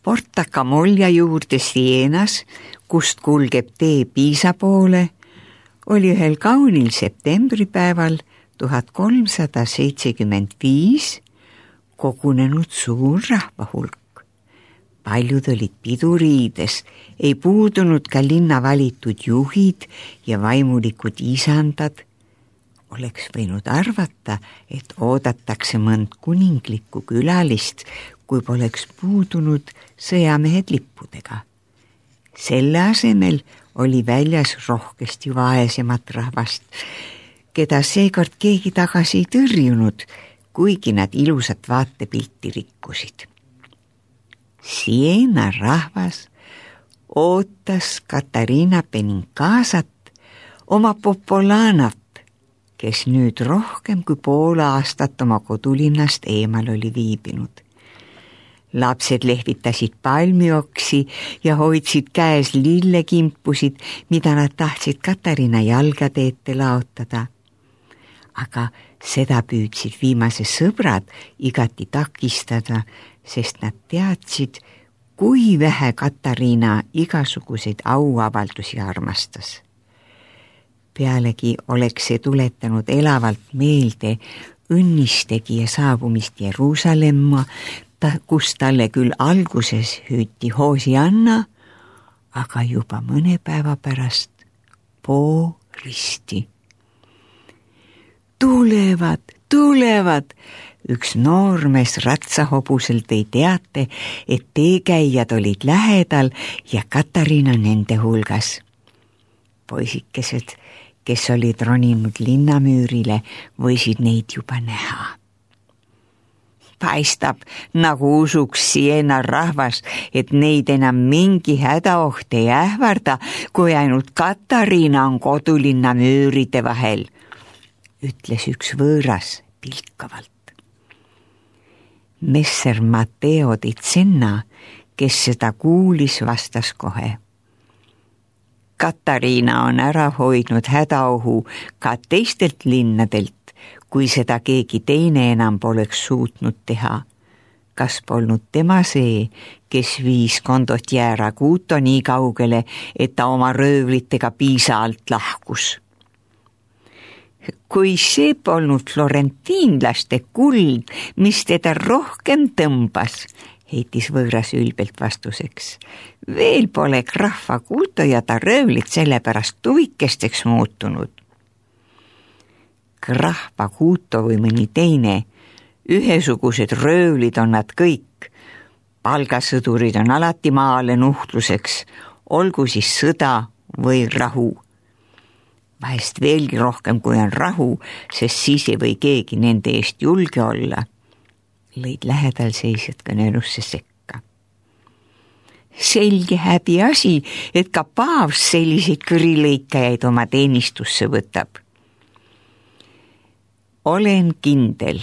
Porta Camoglia juurde Sienas, kust kulgeb tee Piisa poole, oli ühel kaunil septembripäeval 1375 kogunenud suur rahvahulk. Paljud olid piduriides, ei puudunud ka linna valitud juhid ja vaimulikud isandad. Oleks võinud arvata, et oodatakse mõnd kuninglikku külalist, kui poleks puudunud sõjamehed lippudega. Selle asemel oli väljas rohkesti vaesemat rahvast, keda seekord keegi tagasi ei tõrjunud, kuigi nad ilusat vaatepilti rikkusid. Siena rahvas ootas Katariina Benincasat, oma Popolanat, kes nüüd rohkem kui pool aastat oma kodulinnast eemal oli viibinud. Lapsed lehvitasid palmioksi ja hoidsid käes lillekimpusid, mida nad tahtsid Katariina jalgade ette laotada. Aga seda püüdsid viimase sõbrad igati takistada, sest nad teadsid, kui vähe Katariina igasuguseid auavaldusi armastas. Pealegi oleks see tuletanud elavalt meelde õnnistegija saabumist Jeruusalemma, kus talle küll alguses hüüti Hosianna, aga juba mõne päeva pärast risti. Tulevad! Üks noormees ratsahobusel tõi teate, et teekäijad olid lähedal ja Katariina nende hulgas. Poisikesed, kes olid roninud linnamüürile, võisid neid juba näha. Paistab, nagu usuks Siena rahvas, et neid enam mingi hädaoht ei ähvarda, kui ainult Katariina on kodulinna müüride vahel, ütles üks võõras pilkavalt. Messer Matteo di Zenna, kes seda kuulis, vastas kohe. Katariina on ära hoidnud hädaohu ka teistelt linnadelt, kui seda keegi teine enam poleks suutnud teha. Kas polnud tema see, kes viis Condottiere Aguto nii kaugele, et ta oma röövlitega Piisa alt lahkus? Kui see polnud florentiinlaste kuld, mis teda rohkem tõmbas, heitis võõras ülbelt vastuseks. Veel pole Graf Aguto ja ta röövlid sellepärast tuvikesteks muutunud. Graf Aguto või mõni teine, ühesugused röövlid on nad kõik. Palgasõdurid on alati maale nuhtluseks, olgu siis sõda või rahu. Vahest veelgi rohkem, kui on rahu, sest siis ei või keegi nende eest julge olla. Lõid lähedal seisjad kõnelusse sekka. Selge häbi asi, et ka paavs selliseid kõrilõikajaid oma teenistusse võtab. Olen kindel,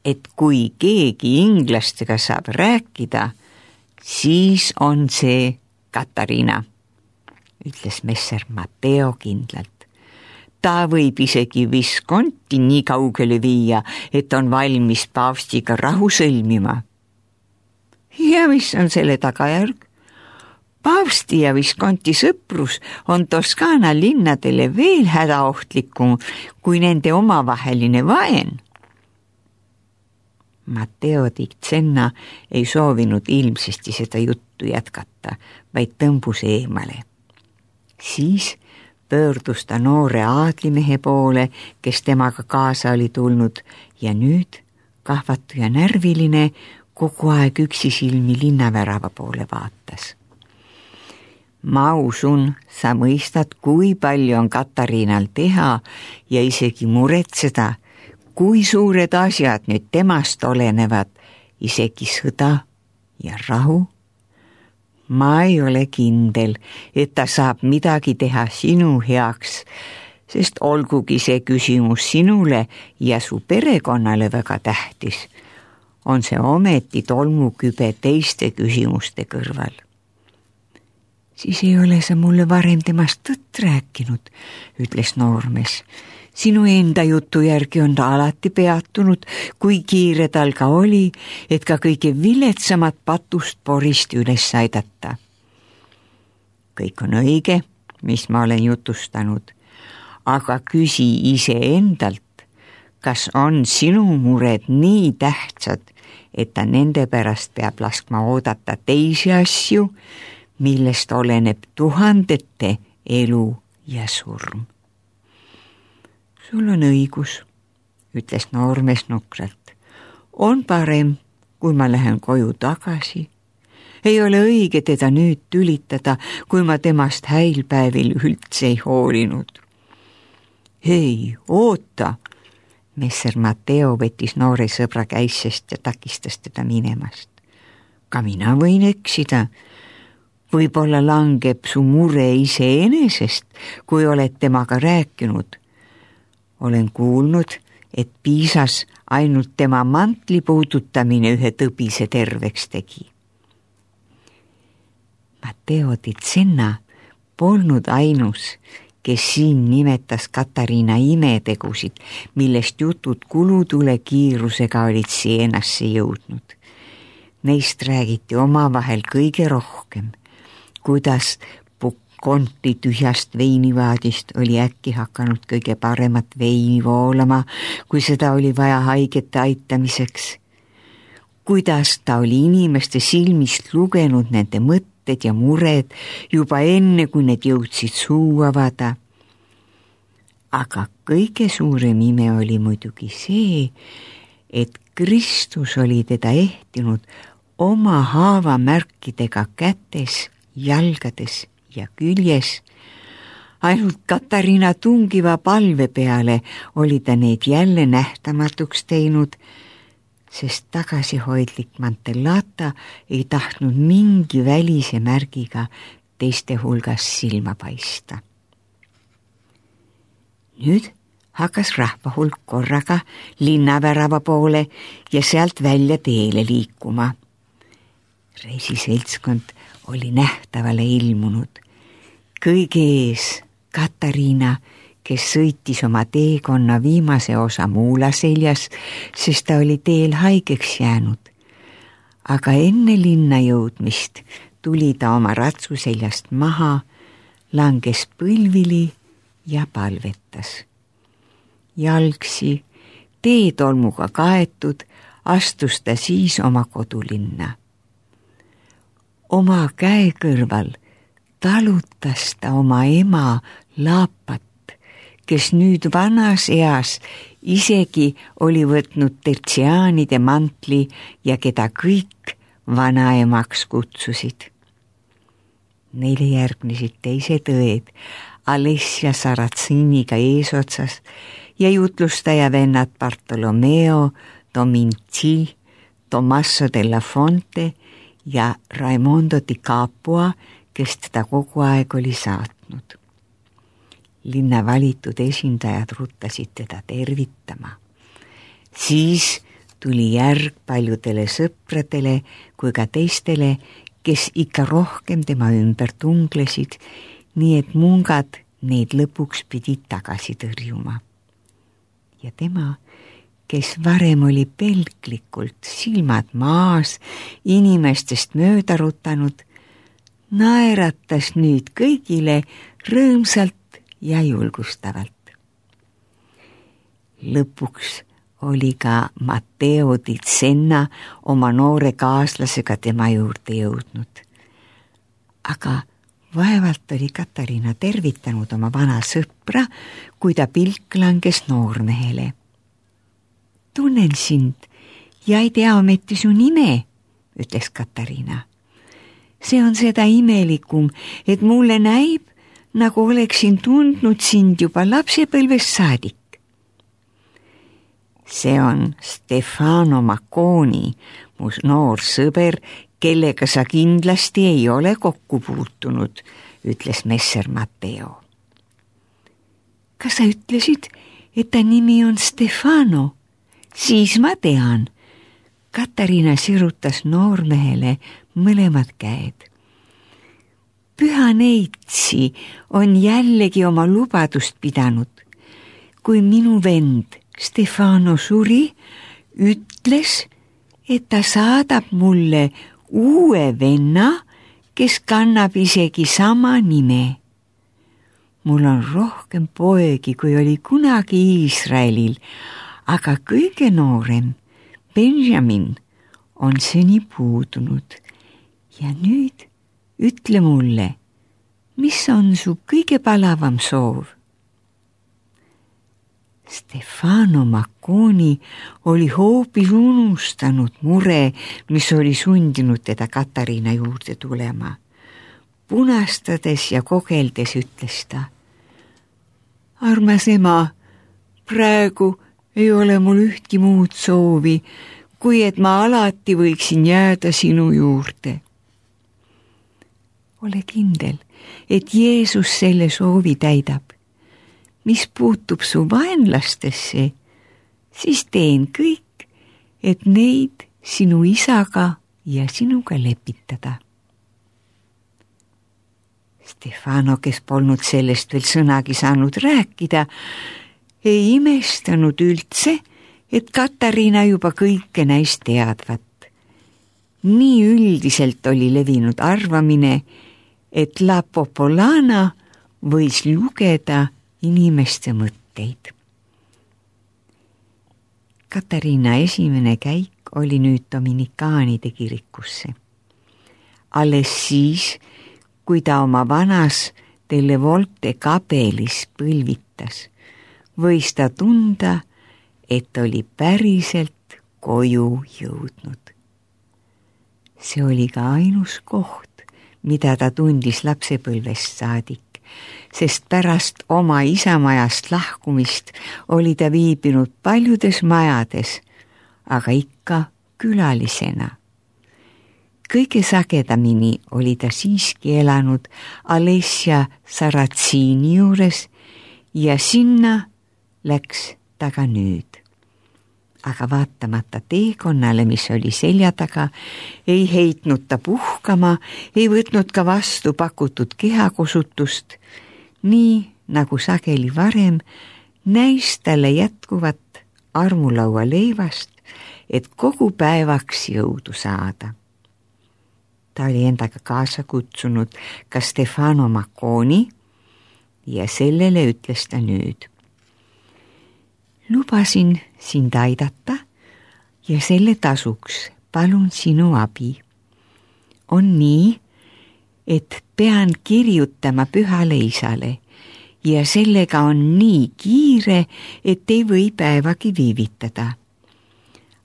et kui keegi inglastega saab rääkida, siis on see Katariina, ütles messer Matteo kindlalt. Ta võib isegi Visconti nii kaugele viia, et on valmis paavstiga rahu sõlmima. Ja mis on selle tagajärg? Paavsti ja Visconti sõprus on Toskaana linnadele veel hädaohtlikum kui nende omavaheline vaen. Matteo di Zenna ei soovinud ilmsesti seda juttu jätkata, vaid tõmbus eemale. Siis pöördus ta noore aadlimehe poole, kes temaga kaasa oli tulnud ja nüüd, kahvatu ja närviline, kogu aeg üksisilmi linnavärava poole vaatas. Ma usun, sa mõistad, kui palju on Katariinal teha ja isegi muretseda, kui suured asjad nüüd temast olenevad, isegi sõda ja rahu. Ma ei ole kindel, et ta saab midagi teha sinu heaks, sest olgugi see küsimus sinule ja su perekonnale väga tähtis, on see ometi tolmukübe teiste küsimuste kõrval. Siis ei ole sa mulle varem temast tõtt rääkinud, ütles noormees. Sinu enda jutu järgi on ta alati peatunud, kui kiire tal ka oli, et ka kõige viletsamat patust porist üles aidata. Kõik on õige, mis ma olen jutustanud, aga küsi iseendalt, kas on sinu mured nii tähtsad, et ta nende pärast peab laskma oodata teisi asju, millest oleneb tuhandete elu ja surm. Sul on õigus, ütles noormees nukralt. On parem, kui ma lähen koju tagasi. Ei ole õige teda nüüd tülitada, kui ma temast häilpäevil üldse ei hoolinud. Hei, oota! Messer Matteo võttis noore sõbra käisest ja takistas teda minemast. Ka mina võin eksida. Võib-olla langeb su mure iseenesest, kui oled temaga rääkinud. Olen kuulnud, et piisas ainult tema mantli puudutamine ühe tõbise terveks tegi. Matteo di Zenna polnud ainus, kes siin nimetas Katariina imetegusid, millest jutud kulutule kiirusega olid Sienasse jõudnud. Neist räägiti omavahel kõige rohkem, kuidas konti tühjast veinivaadist oli äkki hakanud kõige paremat veini voolama, kui seda oli vaja haigete aitamiseks. Kuidas ta oli inimeste silmist lugenud nende mõtted ja mured juba enne, kui need jõudsid suu avada. Aga kõige suurem ime oli muidugi see, et Kristus oli teda ehtinud oma haavamärkidega kätes, jalgades ja küljes. Ainult Katariina tungiva palve peale oli ta neid jälle nähtamatuks teinud, sest tagasihoidlik Mantellata ei tahtnud mingi välise märgiga teiste hulgas silma paista. Nüüd hakkas rahvahulk korraga linnavärava poole ja sealt välja teele liikuma. Reisiseltskond oli nähtavale ilmunud. Kõige ees Katariina, kes sõitis oma teekonna viimase osa muula seljas, sest ta oli teel haigeks jäänud. Aga enne linna jõudmist tuli ta oma ratsu seljast maha, langes põlvili ja palvetas. Jalgsi, teetolmuga kaetud, astus ta siis oma kodulinna. Oma käe kõrval talutas ta oma ema Laapat, kes nüüd vanas eas isegi oli võtnud Tertsiaanide mantli ja keda kõik vanaemaks kutsusid. Neile järgnesid teised õed, Alessia Saratsiniga eesotsas ja jutlustaja vennad Bartolomeo, Dominci, Tommaso della Fonte ja Raimondo di Capua, kes teda kogu aeg oli saatnud. Linna valitud esindajad ruttasid teda tervitama. Siis tuli järg paljudele sõpradele kui ka teistele, kes ikka rohkem tema ümber tunglesid, nii et mungad neid lõpuks pidid tagasi tõrjuma. Ja tema, kes varem oli pelglikult silmad maas inimestest mööda rutanud, naeratas nüüd kõigile rõõmsalt ja julgustavalt. Lõpuks oli ka Matteo di Zenna oma noore kaaslasega tema juurde jõudnud. Aga vaevalt oli Katariina tervitanud oma vana sõpra, kui ta pilk langes noormehele. Tunnen sind ja ei tea ometi su nime, ütles Katariina. See on seda imelikum, et mulle näib, nagu oleksin tundnud sind juba lapsepõlvest saadik. See on Stefano Macconi, mu noor sõber, kellega sa kindlasti ei ole kokku puutunud, ütles messer Matteo. Kas sa ütlesid, et ta nimi on Stefano? Siis ma tean. Katariina sirutas noormehele mõlemad käed. Püha Neitsi on jällegi oma lubadust pidanud. kui minu vend Stefano suri, ütles, et ta saadab mulle uue venna, kes kannab isegi sama nime. Mul on rohkem poegi, kui oli kunagi Iisraelil, aga kõige noorem, Benjamin, on seni puudunud. Ja nüüd ütle mulle, mis on su kõige palavam soov? Stefano Macconi oli hoopis unustanud mure, mis oli sundinud teda Katariina juurde tulema. Punastades ja kogeldes ütles ta: armas ema, praegu ei ole mul ühtki muud soovi, kui et ma alati võiksin jääda sinu juurde. Ole kindel, et Jeesus selle soovi täidab. Mis puutub su vaenlastesse, siis teen kõik, et neid sinu isaga ja sinuga lepitada. Stefano, kes polnud sellest veel sõnagi saanud rääkida, ei imestanud üldse, et Katariina juba kõike näist teadvat. Nii üldiselt oli levinud arvamine, et La Popolana võis lugeda inimeste mõtteid. Katariina esimene käik oli nüüd Dominikaanide kirikusse. Alles siis, kui ta oma vanas Delle Volte kabelis põlvitas, võis ta tunda, et oli päriselt koju jõudnud. See oli ka ainus koht, mida ta tundis lapsepõlvest saadik, sest pärast oma isamajast lahkumist oli ta viibinud paljudes majades, aga ikka külalisena. Kõige sagedamini oli ta siiski elanud Alessia Saratsiini juures ja sinna läks ta ka nüüd. Aga vaatamata teekonnale, mis oli selja taga, ei heitnud ta puhkama, ei võtnud ka vastu pakutud kehakosutust, nii nagu sageli varem näis talle jätkuvat armulaua leivast, et kogu päevaks jõudu saada. Ta oli endaga kaasa kutsunud ka Stefano Macconi ja sellele ütles ta nüüd: lubasin sind aidata ja selle tasuks palun sinu abi. On nii, et pean kirjutama Pühale Isale ja sellega on nii kiire, et ei või päevagi viivitada.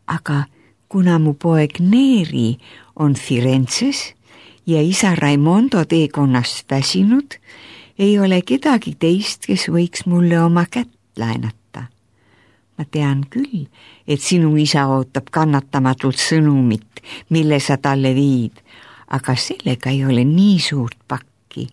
Aga kuna mu poeg Neri on Firenzes ja isa Raimondo teekonnast väsinud, ei ole kedagi teist, kes võiks mulle oma kätt laenata. Ma tean küll, et sinu isa ootab kannatamatult sõnumit, mille sa talle viid, aga sellega ei ole nii suurt pakki.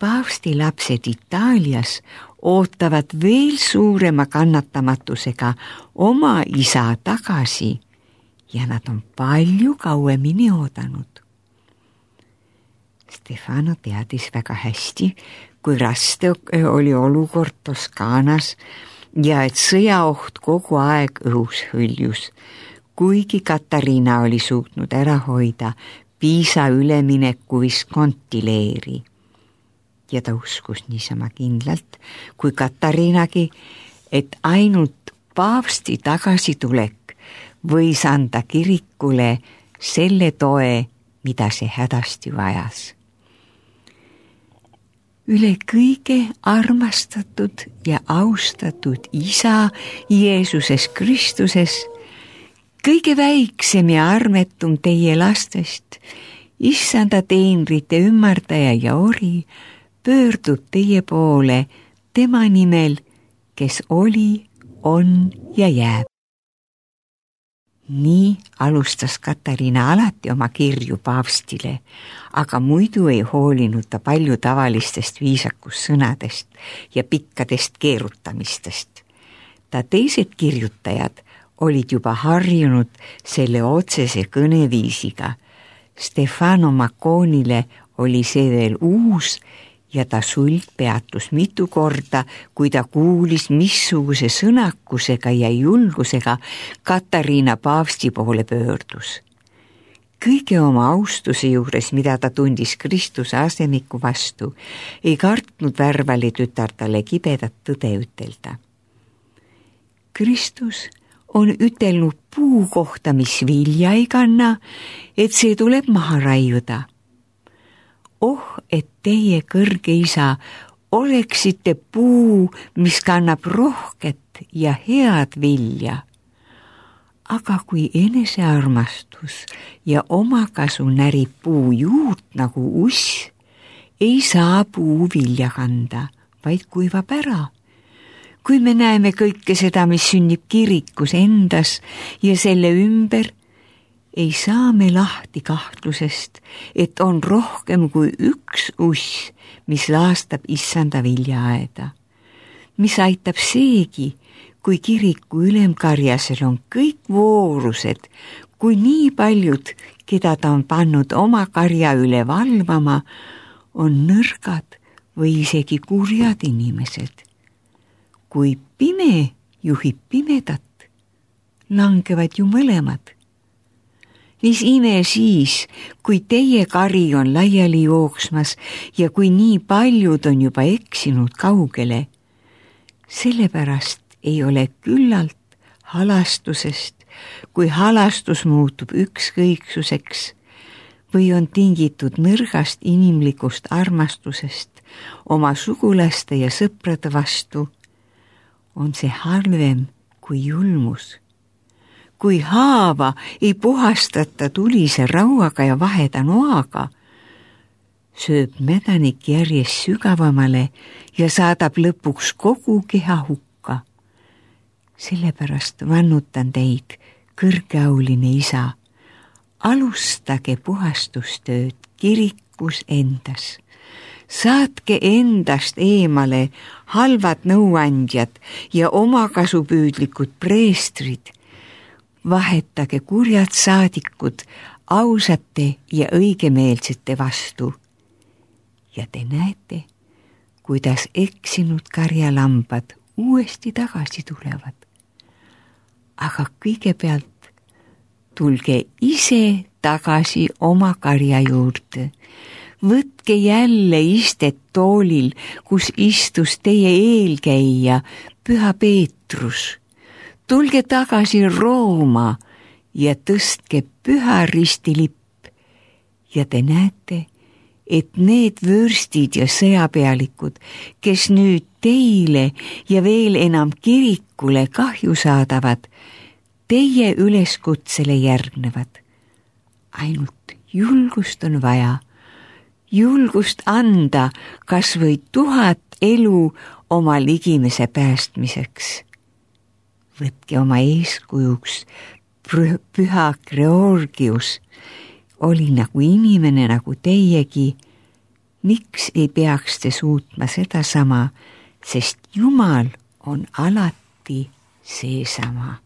Paavsti lapsed Itaalias ootavad veel suurema kannatamatusega oma isa tagasi ja nad on palju kauemini oodanud. Stefano teadis väga hästi, kui raske oli olukord Toskaanas ja et sõjaoht kogu aeg õhus hõljus, kuigi Katariina oli suutnud ära hoida Piisa ülemineku Visconti leeri. Ja ta uskus niisama kindlalt kui Katariinagi, et ainult paavsti tagasitulek võis anda kirikule selle toe, mida see hädasti vajas. Üle kõige armastatud ja austatud isa Jeesuses Kristuses, kõige väiksem ja armetum teie lastest, issanda teenrite ümmardaja ja ori, pöördub teie poole tema nimel, kes oli, on ja jääb. Nii alustas Katariina alati oma kirju paavstile, aga muidu ei hoolinud ta palju tavalistest viisakussõnadest ja pikkadest keerutamistest. Ta teised kirjutajad olid juba harjunud selle otsese kõneviisiga. Stefano Macconile oli see veel uus ja ta suld peatus mitu korda, kui ta kuulis, missuguse sõnakusega ja julgusega Katariina paavsti poole pöördus. Kõige oma austuse juures, mida ta tundis Kristuse asemiku vastu, ei kartnud Värvali tütar talle kibedat tõde ütelda. Kristus on ütelnud puu kohta, mis vilja ei kanna, et see tuleb maha raiuda. Oh, et teie, kõrge isa, oleksite puu, mis kannab rohket ja head vilja. Aga kui enesearmastus ja omakasu närib puu juurt nagu uss, ei saa puu vilja kanda, vaid kuivab ära. Kui me näeme kõike seda, mis sünnib kirikus endas ja selle ümber, ei saa me lahti kahtlusest, et on rohkem kui üks uss, mis laastab issanda viljaaeda. Mis aitab seegi, kui kiriku ülemkarjasel on kõik voorused, kui nii paljud, keda ta on pannud oma karja üle valvama, on nõrgad või isegi kurjad inimesed. Kui pime juhib pimedat, langevad ju mõlemad. Mis ime siis, kui teie kari on laiali jooksmas ja kui nii paljud on juba eksinud kaugele, sellepärast ei ole küllalt halastusest, kui halastus muutub ükskõiksuseks või on tingitud nõrgast inimlikust armastusest oma sugulaste ja sõprade vastu, on see halvem kui julmus. Kui haava ei puhastata tulise rauaga ja vaheda noaga, sööb mädanik järjest sügavamale ja saadab lõpuks kogu keha hukka. Sellepärast vannutan teid, kõrgeauline isa, alustage puhastustööd kirikus endas. Saatke endast eemale halvad nõuandjad ja omakasupüüdlikud preestrid. Vahetage kurjad saadikud ausate ja õigemeelsete vastu. Ja te näete, kuidas eksinud karjalambad uuesti tagasi tulevad. Aga kõigepealt tulge ise tagasi oma karja juurde. Võtke jälle istet toolil, kus istus teie eelkäija, Püha Peetrus. Tulge tagasi Rooma ja tõstke Püha Ristilipp. Ja te näete, et need vürstid ja sõjapealikud, kes nüüd teile ja veel enam kirikule kahju saadavad, teie üleskutsele järgnevad. Ainult julgust on vaja. Julgust anda kas või 1000 elu oma ligimese päästmiseks. Võtke oma eeskujuks Püha Georgius, oli nagu inimene nagu teiegi. Miks ei peaks te suutma sedasama, sest Jumal on alati seesama.